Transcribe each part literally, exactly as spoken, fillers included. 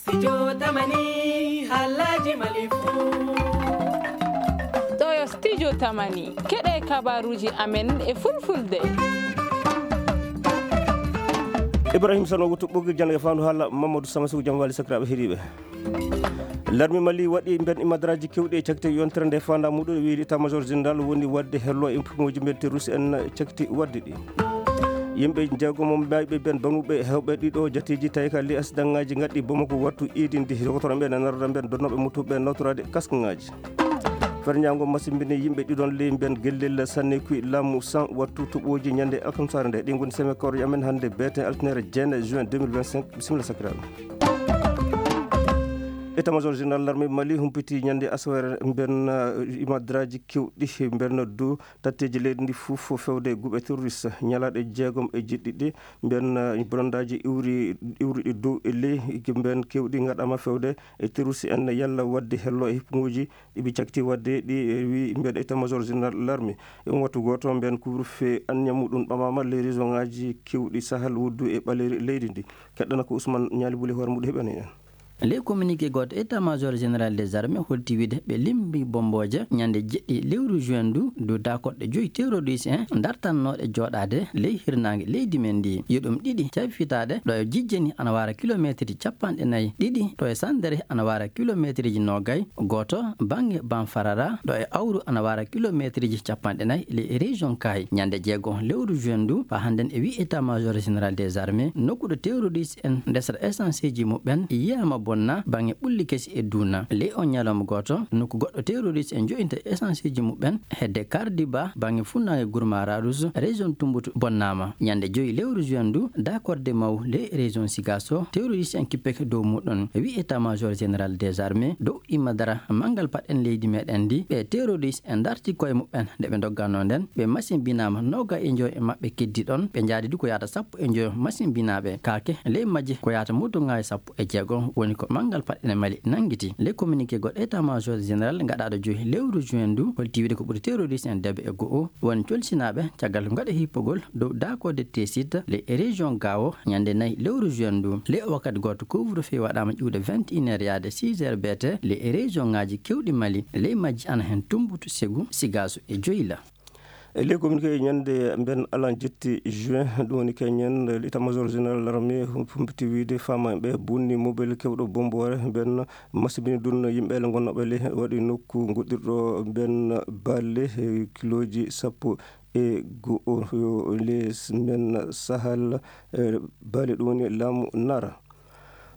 Studio Tamani, halaji Mali fu. Ɗo yo Studio Tamani, keɗe kabaruji amen e fulfulde. Ibrahim Sano wutu ɓoggi jannde e fandu hala Mamadou Samasigu jam wali sakiraɓe heɗiɓe. Larmi Mali waɗi mben imadraji kewɗi e cakti yontere nde fanda muɗum e wiide état major général woni wadde hello e pumuji mben terroriste en cakti wadde ɗi. Yimɓe jeegomo mayɓe ɓen baŋuɓe hewɓe ɗiɗo jateeji tawi ka lias daŋŋaaji ngaɗɗi Bamako wattu iidindi. Dokotoro ɓe nanarɗa ɓen donnooɓe mutuɓe nawtoraade kaskŋaaji. Ferñaango masimbini yimɓe ɗiɗon ley mben gellel sanne kuy laamu san wattu toɓooji ñande alkamsaare nde. Ɗi ngoni seme kawre amen hannde beete altine jeene juin deux mille vingt-cinq. Bisimilla sakiraaɓe. État major général l'armée Mali humpiti ñande asawere mben imadraji kewɗi mben du tatteeji leydi ndi fof fewde guɓe terroriste ñalaaɗe jeegom e jeɗɗiɗi. Mben bonandaaji iwri iwruɗi dow e ley mben kewɗi ngaɗama fewde e terroriste en yalla wadde hello e hippuguji ɗiɓi cakti wadde ɗi wi mben état major général l'armée. E on wattu gooto mben couvre feu anniya muɗum ɓamama les région ngaji kewɗi sahal wuddu e ɓaleri leydi ndi. Keɗɗana ko Ousmane Ñaali Buli hoore muɗum heɓani en. Ley communiqué gooto, état major général des armées holti wiide ɓe limbi bombooje ñande jeɗɗi lewru juin ndu dow dakorɗe joyi terroriste en dartannooɗe jooɗaade ley hirnaange leydi men ndi. Yo ɗum ɗiɗi cafitaade ɗo e jijjeni ana wara kilomeetrji capanɗe nayi, ɗiɗi ɗo e sandere ana wara kilomeetrji noogay, gooto baŋŋe Banfarara ɗo e awru ana wara kilomeetrji capanɗe nayi ley région Kaay. Ñande jeego lewru juin ndu fa hannden e wi état major général des armées nokku ɗo terroriste en ndesata essenceji muɓɓen yiyaama bonna baŋŋe ɓulli kesi e duuna. Ley on ñalawma gooto nokku goɗɗo terroriste en jo'inta essenceji muɓɓen hedde Kardiba baŋŋe funnaange Gurma Radus région Tumbutu bonnaama. Ñande joyi lewru juin ndu dakorde maw ley région Sigaso terroriste en kippeke dow muɗum. E wi état major général des armées dow imadara manngal paɗen leydi meɗen ndi ɓe terroriste en darti koye muɓɓen nde ɓe ndogganoo nden ɓe masimbinaama nooga e joyi e maɓɓe keddi ɗon ɓe njaadi du ko yaata sappo e joyo masimbinaaɓe kaake ley majje ko yaata moto ngaye sappo e jeego woni ko manngal paɗɗene Mali nanngiti. Ley communiqué goɗɗo état major général gaɗaaɗo joyi lewru juin ndu holti wiide ko ɓuri terroriste en debe e go'o woni colsinaaɓe caggal ko gaɗa hippogol dow daakode tesit ley région Gao ñande nayi lewru juin ndu. Ley o wakkati gooto couvre feu waɗaama ƴuwde vingt et une heures yaade six heures beete ley région ngaji kewɗi Mali ley majji ana heen Tumbutu, Segu, Sigaso e Joyla. E ley communiqué ñande mben alan jetti juin ɗum woni keñen état major général l'armée humpiti wiide fama ɓe bonni mobile kewɗo bomboore mben masibini ɗum yimɓe le gonnooɓe ley waɗi nokku goɗɗirɗo mben balle kiloji sappo e go'o les mben sahal balle ɗum woni laamu nara.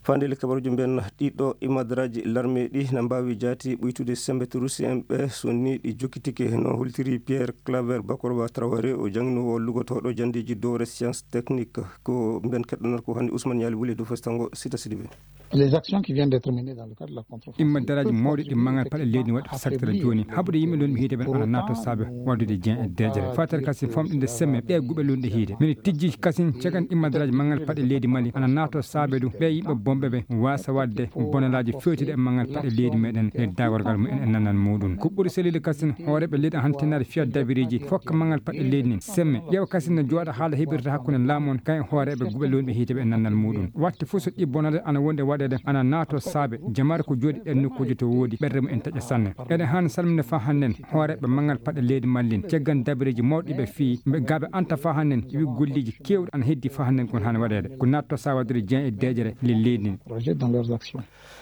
Fande le kabaruji mben ɗiɗo imadraji larme ɗi na mbawi jaati ɓuytude sembe turusi en ɓe so ni ɗi jokkitike no holtiri Pierre Claver Bakoroba Traoré o jangno o lugotooɗo jandeji dowre science technique ko mben keɗɗonar ko hannde Ousmane Yali Wuli dow festango sita sidibe. Les actions qui viennent d'être menées dans le cadre de la contre-offensive. Imma daraaji mawɗi ɗi mangal paɗe leydi waɗi ko sartira jooni haɓude yimɓe lon ɓe hiide ɓen ana naato saabe waddude jeen e deejere fatere kasi famɗinde semme ɗe guɓe lunɗe hiide min tijji kasin cegan imma daraaji mangal paɗe leydi Mali ana naato saabe ɗum ɓe yimɓe bomɓe ɓe wasa wadde bonalaaji fewtiɗe e mangal paɗe leydi meɗen e dagorgal mumen e nanal muɗum ko ɓuri sellude kasin hooreɓe leydi hantinaade fiya dabiriji fokka mangal paɗe leydi nin semme ƴeewa kasin no jooɗa haala heɓirta hakkunde laamu on kayen hooreɓe guɓe lunɓe hiite ɓe e nanal muɗum watte fof so ɗi bonale ana wonde waɗede ana naato saabe jamaare ko jooɗi ɗen nokkuuji to woodi ɓerɗe mumen taƴa sanne eɗen haani salminde faa hannden hooreɓe mangal paɗe leydi mallin ceggan dabireeji mawɗi ɓe fii ɓe gaaɓe anta faa hannden wi golleeji keewɗi ana heddi faa hannden kon haani waɗede ko natto saa waɗude jeen e deeƴere le leydi ndi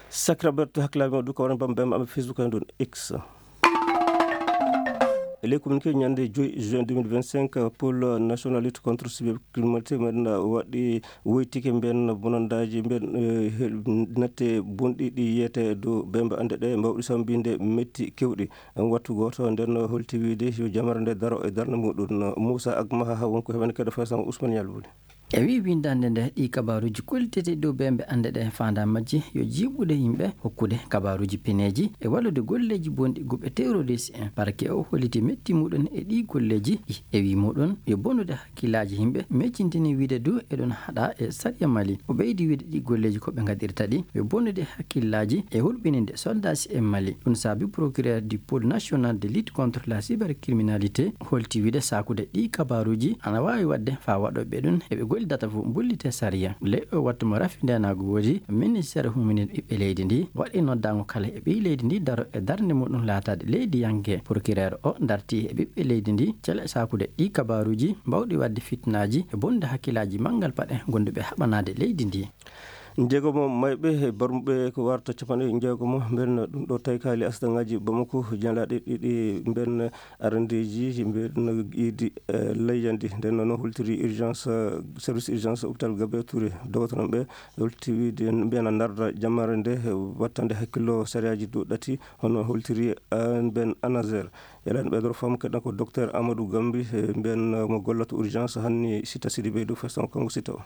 sakiraɓe to hakkilaaɓe maɗum ko waran bam bam aɓe facebook en ɗon x e ley communiqué ñande joyi juin deux mille vingt-cinq pôle national lutte contre cybercriminalité men waɗi woytike mben bonandaaji mben natte bonɗi ɗi yiyete dow bembe annde ɗe mbawɗi sambinde metti kewɗi wattu gooto nden holti wiide yo jamare nde daro e darnde muɗum moussa agmaha wonko heɓani kadi faysama ousmane yalbuli e wi windande nde ɗi kabaruji kollitete dow bembe annde ɗe fanda majji yo jiɓude yimɓe hokkude kabaruji pineji e wallude golleji bonɗi guɓe terroriste en parke o holliti metti muɗum e ɗi golleji e wi muɗum yo bonude hakkillaaji yimɓe meccintini wiide du eɗon haɗa e sariya mali o ɓeydi wiide ɗi golleji ko ɓe gaɗirta ɗi yo bonnude hakkillaaji e hulɓininde soldasi e mali ɗum saabi procureur du pôle national de lutte contre la cybercriminalité holti wiide sakude ɗi kabaruji ana wawi wadde fa waɗoɓe ɗum eɓe Ɓoyli data fof mbullitee sariya. Ley o wattu mo rafi ndeenaagu woodi, ministeer huminiiɗo ɓiɓɓe leydi ndi waɗi noddaango kala e ɓiy leydi ndi daro e darnde muɗum laataade leydiyanke. Procureur o darti e ɓiɓɓe leydi ndi cele saakude ɗi kabaaruuji mbawɗi waɗde fitnaaji e bonde hakkillaaji manngal paɗe gonduɓe haɓanaade leydi ndi. Njeegomo mayɓe e barmuɓe ko warta capanɗe njeegomo, mbeɗa ɗum ɗo tawi kaali asdaŋaaji Bamako, ñalaaɗe ɗiɗi mbeɗa arandeeji mbeɗa iidi, eh, layyandi. Nden noon holtiri urgence, eh, service urgence hôpital Gabriel Touré. Dogotooɓe ɓe holti wiide mbiyana ndarda jammaare nde, eh, wattande hakkillo sariyaaji dow ɗati, hono holtiri, eh, mbeɗa Anazer. Yalani ɓe doro faamu keɗan ko docteur Amadou Gambi, eh, mbeɗa mo gollata urgence hanni Sita Sidibé dow fesan Kongo Sita o.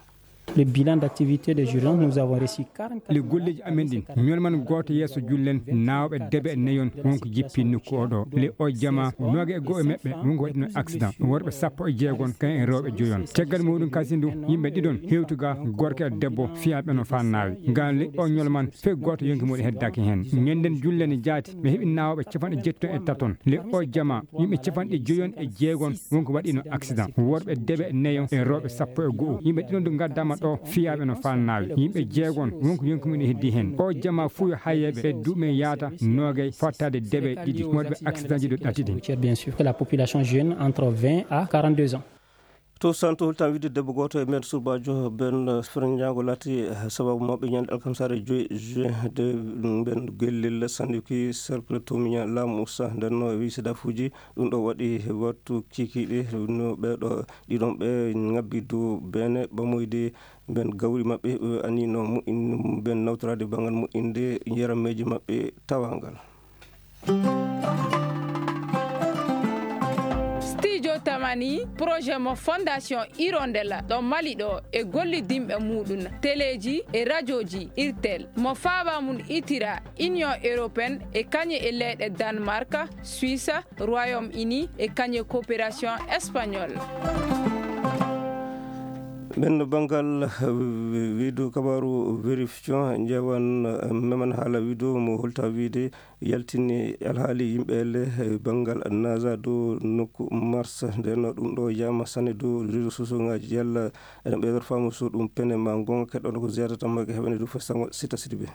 Le bilan d'activité des urgences, nous avons reçu quarante-quatre. Le golleji amen ɗin, ñolman gooto yeeso jullen, naawɓe debe e neyon wonko jippi nokku o ɗo. Le o jama, nooga e go'o e maɓɓe wonko waɗino accident. Worɓe sappo e jeegon, kan e rewɓe joyon. Caggal muɗum kasi ndu, yimɓe ɗiɗon hewtuga, gorko e debbo, fiyaaɓe no faa naawi. Ngam le o ñolman, fey gooto yonki muɗum heddaaki heen. Ñanden jullen jaati, ɓe heɓi naawɓe capanɗe jeettati e taton. Le o jama, yimɓe capanɗe joyon e jeegon wonko waɗino accident. Worɓe debe neyo e rewɓe sappo e go'o. Yimɓe ɗiɗon du ngaddama ɗo, fiyaaɓe no faa naawi. Yimɓe jeegon wonko yonki muɗum heddi heen. O jama fuu yo hayeɓe e duuɓi men yaata noogay fottaade debe ɗiɗi. Worɓe accident ji ɗo ɗati ɗin. Routière, bien sûr, que la population jeune entre vingt à quarante-deux ans. To Santo, holtan wiide debbo gooto e mbeɗa surbaajo, mbeɗa, eh, fernjaango laati, eh, sababu mawɓe ñande alkamsare joyi juin de, mbeɗa gellel Sanduki cercle Tomiña laamu usta. Nden no wi sedafuuji, ɗum ɗo waɗi wattu kiikiiɗe no ɓeeɗo ɗiɗon ɓe ngabbi dow beene ɓamoyde mbeɗa gawri maɓɓe, eh, ani no moƴƴin-, mbeɗa nawtoraade banngal moƴƴinde yarammeeji maɓɓe tawangal. Studio Tamani, projet mo Fondation Hirondella ɗo Mali ɗo e gollidinɓe muɗum, teleeji e rajooji Irtel, mo faaba mum itira Union Européenne e kañum e leyɗe Danemark, Suisse, Royaume-Uni e kañum e Coopération Espagnole. Ɓen banngal, eh, wiidu kabaaru vérification, ƴeewan, eh, meman haala wiidu mo holta wiide yaltini alhaali yimɓe elle, eh, banngal NASA dow nokku Mars. Nden no ɗum ɗo yama sanne dow réseaux sociaux ngaji. Yalla eɗen ɓeydor faamu so ɗum pene ma gonga, keɗɗo ko ziyara tan mawɓe heɓani dow festango Sita Sidibé.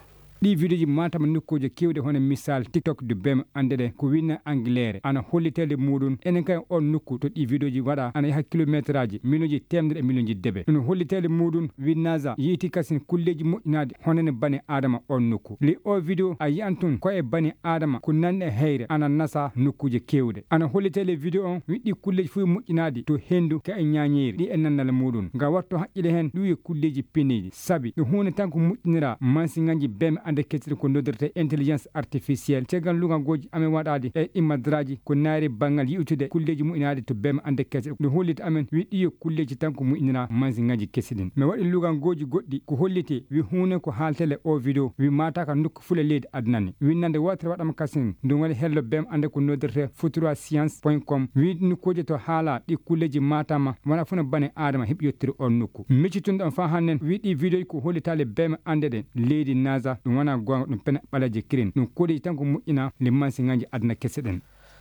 Ɗi vidéoji matama nokkuuje kewɗe hono misal TikTok du bem ande ɗe ko winna Angleere ana hollitede muɗum. Enen kay on nokku to ɗi vidéoji waɗa ana yaha kilométraaji miliyonji temedere e miliyonji debe. Ɗum hollitede muɗum winnaza yiiti kasin kulleji moƴƴinaaɗi honene bani Adama on nokku. Li o vidéo a yiyan tun ko e bani Adama ko nanni e heyre ana nasa nokkuuje kewɗe. Ana hollitede vidéo on wiɗɗi kulleji fof moƴƴinaaɗi to hendu ka e ñañeeri ɗi e nannal muɗum. Nga watto haqqile hen ɗum e kulleji piniɗi. Sabi ɗum huunde tan ko moƴƴinira mansiŋaaji bem ande kecciri ko noddirte intelligence artificielle. Caggal lugagooji amen waɗaade e ɗi madraji ko naari banngal yi'utude kulleji moƴƴinaaɗi to bem ande kecciri. Ɗum hollita amen wi ɗiyo kulleji tan ko moƴƴinira mansiŋaaji kesi ɗin. Mi waɗi lugagooji goɗɗi ko holliti wi huunde ko haaltele o vidéo wi mataka nokku fula leydi aduna ni. Winnande wootere waɗama kasin ɗum woni hello bem ande ko noddirte futura science point com. Wi nokkuuje to haala ɗi kulleji matama wona funa bane Adama heɓi yettude on nokku. Miccitunɗo on faa hannen wi ɗi vidéo ko hollitaali bem ande ɗe leydi NASA ɗum wona goonga ɗum pena ɓaleeje kirin. Ɗum koɗeji tan ko moƴƴina le mansiŋaaji aduna kese ɗen.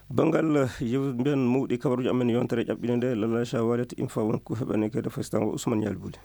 Banngal yew mbiyan mawɗi kabaruji amen yontere ƴaɓɓinde nde Lalacha Walet Infa won ko heɓani kede festango Ousmane Yalbuli.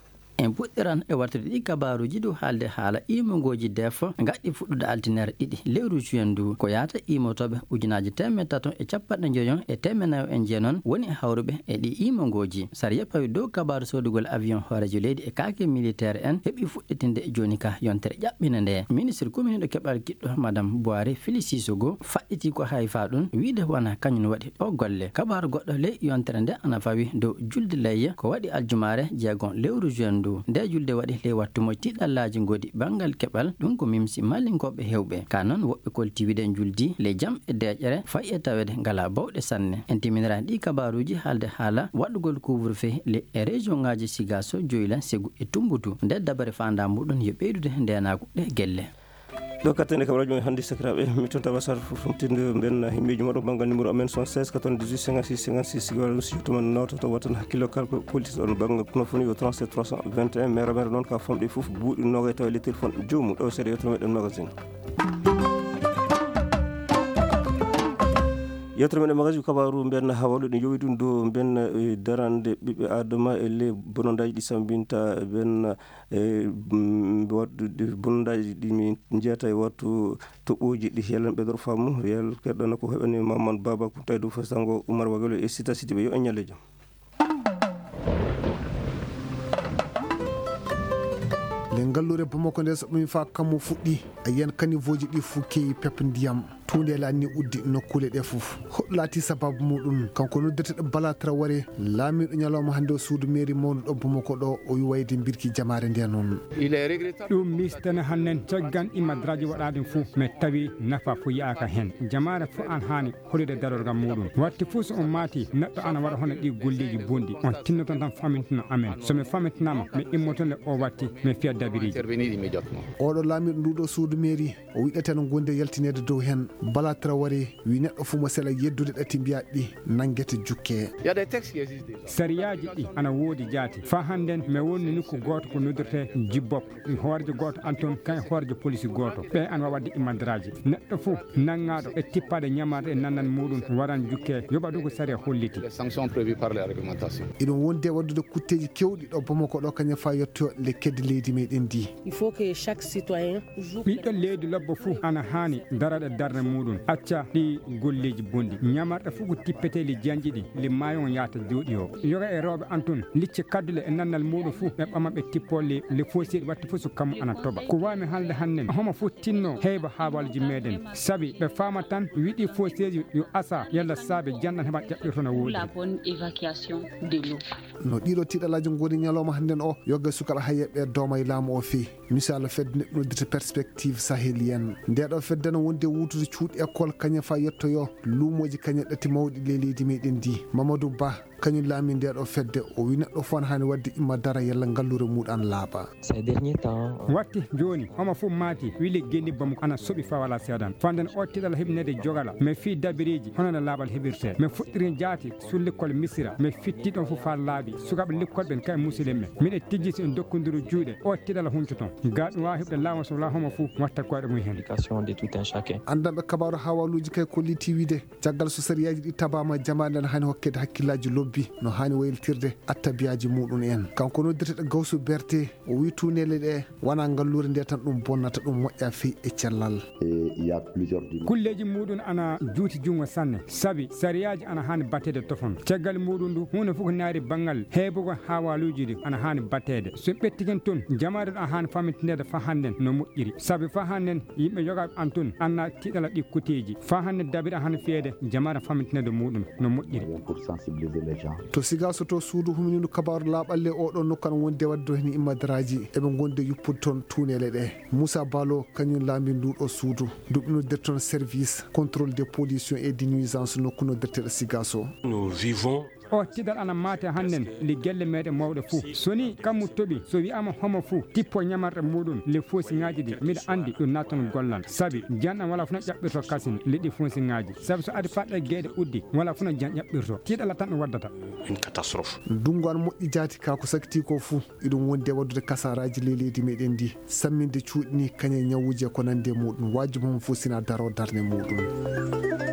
En puɗɗiran e wartude ɗi kabaaruuji dow haalde haala iimongooji def ngaɗɗi fuɗɗude altinere ɗiɗi lewru juin ndu. Ko yaata iimotooɓe ujunaaji teemedde tato e capanɗe njoyon e teemedde nayo e jeenon woni e hawruɓe e ɗi iimongooji. Sariya pawi dow kabaaru soodugol avion hooreejo leydi e kaake militaire en heɓi fuɗɗitinde jooni ka yontere ƴaɓɓinde nde. Ministre kominiiɗo keɓal kiɗɗo Madame Boire Félix Sissoko faɗɗiti ko hay faa ɗum wiide wona kañum waɗi o golle. Kabaaru goɗɗo ley yontere nde ana fawi dow julde layya ko waɗi aljumaare jeegon lewru juin ndu. Nde julde waɗi ley wattu mo tiiɗallaaji ngoodi banngal keɓal, ɗum ko mimsi Malinkooɓe heewɓe. Ka noon woɓɓe kolti wiɗen juldi ley jam e deeƴere fayi e taweede ngala bawɗe sanne. En timminiraani ɗi kabaaruuji haalde haala waɗugol couvre-feu ley e région ngaaji Sigaso, Joyla, Segu e Tumbutu. Nde dabare faandaa muɗum yo ɓeydude ndeenaagu ɗe gelle. Ɗo kattene kam radio men hannde sakiraaɓe, mi tonta wasar fomtinde mben himɓeji moɗo banngal numéro amen soixante-seize quatre-vingt-dix-huit cinquante-six cinquante-six, sigo walla siyto man nawtoto watan hakkillo kala ko politique on banngal kono foni yo trente-sept trois cent vingt et un, mera mera noon ka famɗi fof buuɗi nogay tawa le téléphone joomum ɗo seeɗa yewtere meɗen magasin. Yewtere men e magasin kabaaru mben hawalo ɗi jowi ɗum dow mben, eh, darande ɓiɓɓe adama e le bonondaaji ɗi sambinta mben, eh, mm, waɗɗude bonondaaji ɗi min njeyata e wattu toɓɓooji ɗi. Yalla en ɓeydoro faamu, yalla keɗɗana ko heɓani Mamadou Baba Kounta e dow Fasango Oumar Wagalo e Sita Sidibé. Yo en ñalle jam. Le ngalluure Bamako nde so ɗum fa kammu fuɗɗi, a yiyan kanivooji ɗi fof keewi pep ndiyam. Tuundeele anni uddi nokkuule ɗe fof. Hoɗ laati sababu muɗum? Kanko noddirteɗo Bala Traoré, laamiiɗo ñalawma hannde o suudu mairie mawnuɗo Bamako ɗo, o wi wayde mbirki jamaare nde noon. Ɗum mistana hannden caggan imadraji waɗaɗum fof, mais tawi nafa fof yaaka heen. Jamaare fof an haani hoɗude darorgal muɗum. Watti fof so on maati, neɗɗo ana waɗa hono ɗi golleeji bonɗi, on tinnoto tan famintino amen. So mi famintinaama, mi immoto le o watti, mi fiya dabiriji. Oɗo laamiiɗo nduɗo suudu mairie, o wiɗata no gonde yaltineede dow heen. Bala Traoré wi neɗɗo fof mo sela yeddude ɗati mbiyaɗi nanngete jukke. Sariyaaji ɗi ana woodi jaati. Fa hannden mi wonni nokku gooto ko noddirte Jibbop. Hoorjo gooto an toon, kay hoorjo polisi gooto. Ɓe an wawa waɗde imadraji. Neɗɗo fof nanngaaɗo e tippaade ñamarɗe e nannan muɗum waran jukke, yoɓa ɗum ko sariya holliti. Iɗum wonde waɗdude kutteeji kewɗi ɗo Bamako ɗo, kañum fa yetto le kedde leydi meɗen ndi. Il faut que chaque citoyen joue. Ɓiɗɗo leydi lobbo fof ana haani darade darnde muɗum, acca ɗi golleeji bonɗi. Ñamarɗe fof ko tippeteeli janji ɗi, le maayo on yahata jooɗi o. Yoga e rewɓe an toon, licce kaddule e nannal muɗum fof, ɓe ɓama ɓe tippo le, le fof seeɗi watti fof so kammu ana toɓa. Ko waawmi haalde hannden, homo fof tinno heyba haawalji meɗen. Sabi ɓe faama tan, wiɗi fof seeɗi yo asa, yalla saabe janɗan heɓa ƴaɓɓirto no woodi. La bonne évacuation de l'eau. No ɗiɗo tiɗalaaji ngoni ñalawma hannden o, yoga e sukaaɓe hayyeɓe dooma e laamu o fii. Misal fedde noddirte Perspective Sahélienne. Nde ɗo fedde no wonde wuutude cuuɗi école kañum fa yettoyo luumooji kañum ɗati mawɗi ley leydi meɗen ndi. Mamadou Ba, kañum laami nde ɗo fedde, o wi neɗɗo fof ana haani waɗde imma dara yalla ngalluure muɗum an laaɓa. Ces derniers temps, watti jooni, homo fof maati, wili genni Bamako ana soɓi fa wala seedan. Fanden o tiɗal heɓinede jogala, mais fii dabiriji, hono no laaɓal heɓirte. Mais fuɗɗiri jaati, sur l'école Misira, mais fitti ɗon fof fa laaɓi. Sukaaɓe l'école ɓen kay musidɓe men. Miɗe tijji si en dokkondiro juuɗe, o tiɗal huncoton. Ga ɗum waawa heɓde laamu so wala homo fof watta koyɗe mum hen. Éducation de tout un chacun. Anndanɓe kabaaru hawaluuji kay kolliti wiide, caggal so sariyaaji ɗi tabaama, jamaare nden haani hokkede hakkillaaji lobbi no haani wayltirde attabiyaaji muɗum en. Kanko noddirteɗo Gawsu Berte, o wi tuuneele ɗe wona ngalluure nde tan ɗum bonnata, ɗum moƴƴa fii e cellal. Et il y a plusieurs dimensions. Kulleeji muɗum ana juuti junngo sanne, sabi sariyaaji ana haani batteede tofon. Caggal muɗum ndu, huunde fof ko naari banngal heɓugol hawaluuji ɗi ana haani batteede. So ɓettigen toon, jamaare ɗo haani famintineede fa hannden no moƴƴiri. Sabi fa hannden yimɓe yogaaɓe an toon anna tiɗala ɗi kuteeji. Fa hannden dabiri haani fiyeede, jamaare famintineede muɗum no moƴƴiri. Pour sensibiliser les gens. To Sigaso to suudu humindu kabaaru laaɓalle o ɗo nokku ana wonde waɗde heen immadaraaji, eɓe ngondi yuppude toon tuuneele ɗe. Moussa Balo, kañum laami ndu ɗo suudu. Duɓi noddirte toon service contrôle des pollutions et des nuisances nokku noddirteɗo Sigaso. Nous vivons. O tiɗal ana maate hannden li gelle meɗen mawɗe fof. So ni kammu toɓi, so wi'ama homo fof tippo ñamarɗe muɗum li foosiŋaaji ɗi, miɗa anndi ɗum nattan gollal. Sabi janɗan wala fof no ƴaɓɓirto kasin liɗɗi foosiŋaaji. Sabi so adi paɗɗe geeɗe uddi, wala fof no jan ƴaɓɓirto. Tiɗala tan ɗum waddata. Une catastrophe. Ndungu an moƴƴi jaati ka ko sakiti ko fof. Iɗum wondi e waɗdude kasaraaji ley leydi meɗen ndi, samminde cuuɗi ni kañe ñawuuji e ko nandi e muɗum, wajibu mum fof sina daro darnde muɗum.